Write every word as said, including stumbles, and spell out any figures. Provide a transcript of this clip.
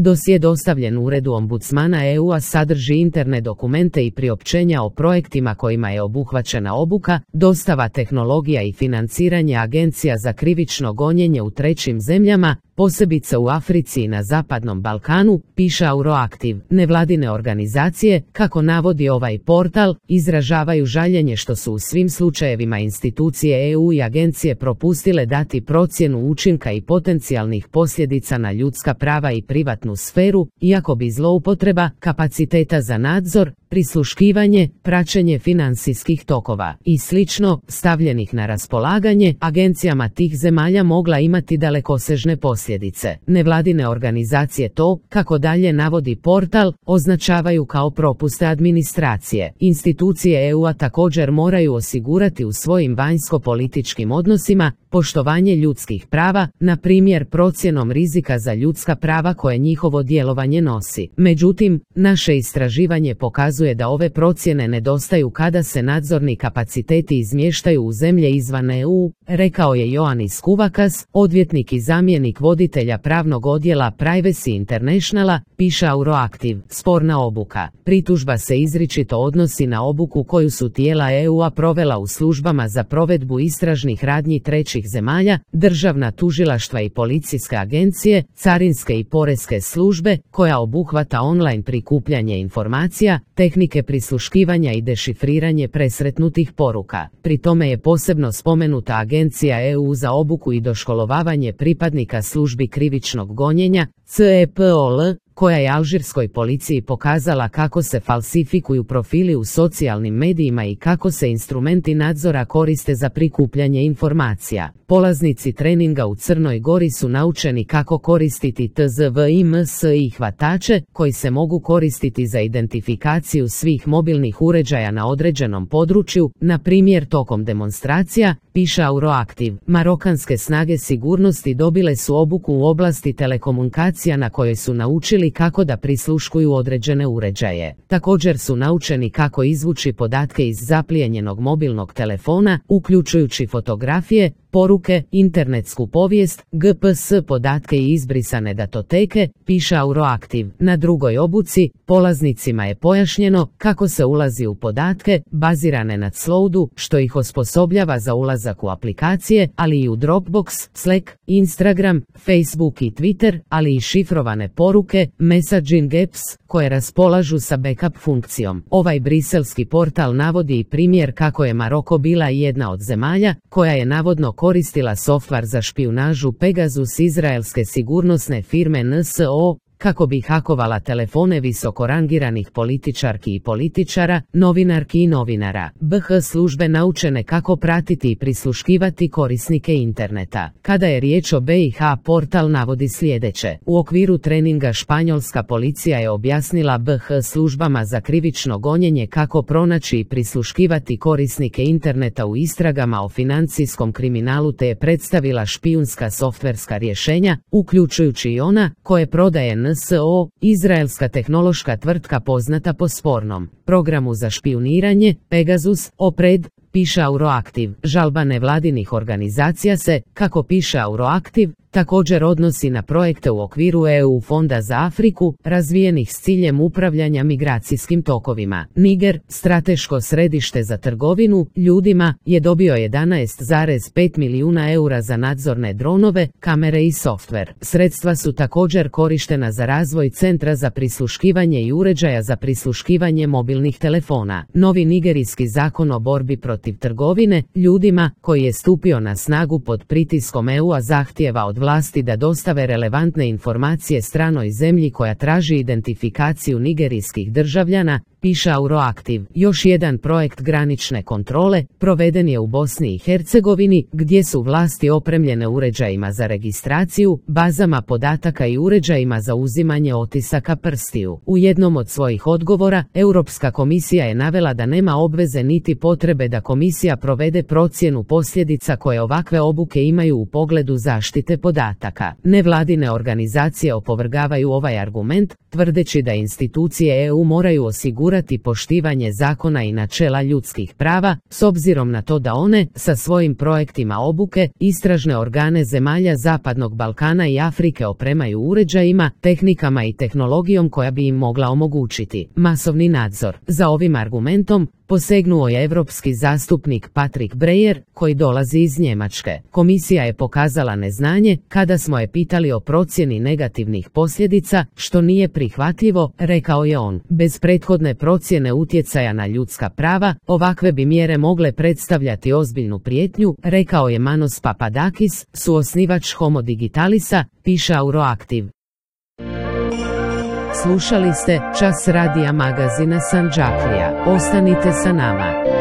Dosje dostavljen Uredu ombudsmana E U-a sadrži interne dokumente i priopćenja o projektima kojima je obuhvaćena obuka, dostava tehnologija i financiranje agencija za krivično gonjenje u trećim zemljama, posebice u Africi i na Zapadnom Balkanu, piše Euroactiv. Nevladine organizacije, kako navodi ovaj portal, izražavaju žaljenje što su u svim slučajevima institucije E U i agencije propustile dati procjenu učinka i potencijalnih posljedica na ljudska prava i privatnu sferu, iako bi zloupotreba kapaciteta za nadzor, prisluškivanje, praćenje financijskih tokova i slično stavljenih na raspolaganje agencijama tih zemalja mogla imati dalekosežne posljedice. Nevladine organizacije to, kako dalje navodi portal, označavaju kao propuste administracije. Institucije E U-a također moraju osigurati u svojim vanjsko-političkim odnosima poštovanje ljudskih prava, na primjer procjenom rizika za ljudska prava koje njihovo djelovanje nosi. Međutim, naše istraživanje pokazuje da ove procjene nedostaju kada se nadzorni kapaciteti izmještaju u zemlje izvan E U, rekao je Ioannis Kouvakas, odvjetnik i zamjenik voditelja pravnog odjela Privacy Internationala, piše Euroactiv. Sporna obuka. Pritužba se izričito odnosi na obuku koju su tijela E U-a provela u službama za provedbu istražnih radnji trećih zemalja, državna tužilaštva i policijske agencije, carinske i poreske službe, koja obuhvata online prikupljanje informacija, tehnike prisluškivanja i dešifriranje presretnutih poruka. Pri tome je posebno spomenuta Agencija E U za obuku i doškolovavanje pripadnika službi krivičnog gonjenja, C E P O L, koja je alžirskoj policiji pokazala kako se falsifikuju profili u socijalnim medijima i kako se instrumenti nadzora koriste za prikupljanje informacija. Polaznici treninga u Crnoj Gori su naučeni kako koristiti T Z V I M S I hvatače, koji se mogu koristiti za identifikaciju svih mobilnih uređaja na određenom području, na primjer tokom demonstracija, piše Euroactiv. Marokanske snage sigurnosti dobile su obuku u oblasti telekomunikacija na kojoj su naučili kako da prisluškuju određene uređaje. Također su naučeni kako izvući podatke iz zaplijenjenog mobilnog telefona, uključujući fotografije, poruke, internetsku povijest, G P S podatke i izbrisane datoteke, piše Euroactiv. Na drugoj obuci, polaznicima je pojašnjeno kako se ulazi u podatke, bazirane na cloudu, što ih osposobljava za ulazak u aplikacije, ali i u Dropbox, Slack, Instagram, Facebook i Twitter, ali i šifrovane poruke, messaging apps, koje raspolažu sa backup funkcijom. Ovaj briselski portal navodi i primjer kako je Maroko bila jedna od zemalja koja je navodno koristila softvar za špijunažu Pegasus izraelske sigurnosne firme N S O, kako bi hakovala telefone visokorangiranih političarki i političara, novinarki i novinara. B H službe naučene kako pratiti i prisluškivati korisnike interneta. Kada je riječ o B i H, portal navodi sljedeće. U okviru treninga španjolska policija je objasnila B H službama za krivično gonjenje kako pronaći i prisluškivati korisnike interneta u istragama o financijskom kriminalu te je predstavila špijunska softverska rješenja, uključujući i ona koje prodaje N S O, izraelska tehnološka tvrtka poznata po spornom programu za špijuniranje, Pegasus, Opred, piše Euroactiv. Žalba nevladinih organizacija se, kako piše Euroactiv, također odnosi na projekte u okviru E U fonda za Afriku, razvijenih s ciljem upravljanja migracijskim tokovima. Niger, strateško središte za trgovinu ljudima, je dobio jedanaest zarez pet milijuna eura za nadzorne dronove, kamere i softver. Sredstva su također korištena za razvoj centra za prisluškivanje i uređaja za prisluškivanje mobilnih telefona. Novi nigerijski zakon o borbi protiv trgovine ljudima, koji je stupio na snagu pod pritiskom E U-a, zahtijeva od vlasti da dostave relevantne informacije stranoj zemlji koja traži identifikaciju nigerijskih državljana, piše Euroactiv. Još jedan projekt granične kontrole proveden je u Bosni i Hercegovini, gdje su vlasti opremljene uređajima za registraciju, bazama podataka i uređajima za uzimanje otisaka prstiju. U jednom od svojih odgovora, Europska komisija je navela da nema obveze niti potrebe da komisija provede procjenu posljedica koje ovakve obuke imaju u pogledu zaštite podataka. Nevladine organizacije opovrgavaju ovaj argument, tvrdeći da institucije E U moraju osigurati osigurati poštivanje zakona i načela ljudskih prava, s obzirom na to da one, sa svojim projektima obuke, istražne organe zemalja Zapadnog Balkana i Afrike opremaju uređajima, tehnikama i tehnologijom koja bi im mogla omogućiti masovni nadzor. Za ovim argumentom posegnuo je europski zastupnik Patrick Breyer, koji dolazi iz Njemačke. Komisija je pokazala neznanje kada smo je pitali o procjeni negativnih posljedica, što nije prihvatljivo, rekao je on. Bez prethodne procjene utjecaja na ljudska prava, ovakve bi mjere mogle predstavljati ozbiljnu prijetnju, rekao je Manos Papadakis, suosnivač Homo Digitalisa, piše Euroactiv. Slušali ste Čas radija magazina Sandžaklija. Ostanite sa nama.